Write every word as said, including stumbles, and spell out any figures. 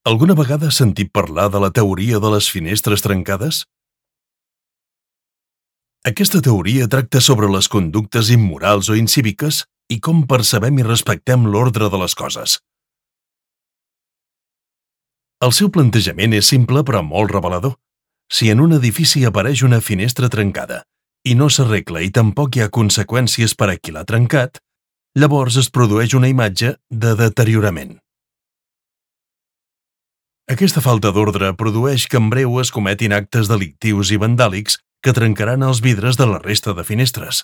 Alguna vegada has sentit parlar de la teoria de les finestres trencades? Aquesta teoria tracta sobre les conductes immorals o incíviques i com percebem i respectem l'ordre de les coses. El seu plantejament és simple però molt revelador. Si en un edifici apareix una finestra trencada i no s'arregla i tampoc hi ha conseqüències per a qui l'ha trencat, llavors es produeix una imatge de deteriorament. Aquesta falta d'ordre produeix que en breu es cometin actes delictius i vandàlics que trencaran els vidres de la resta de finestres.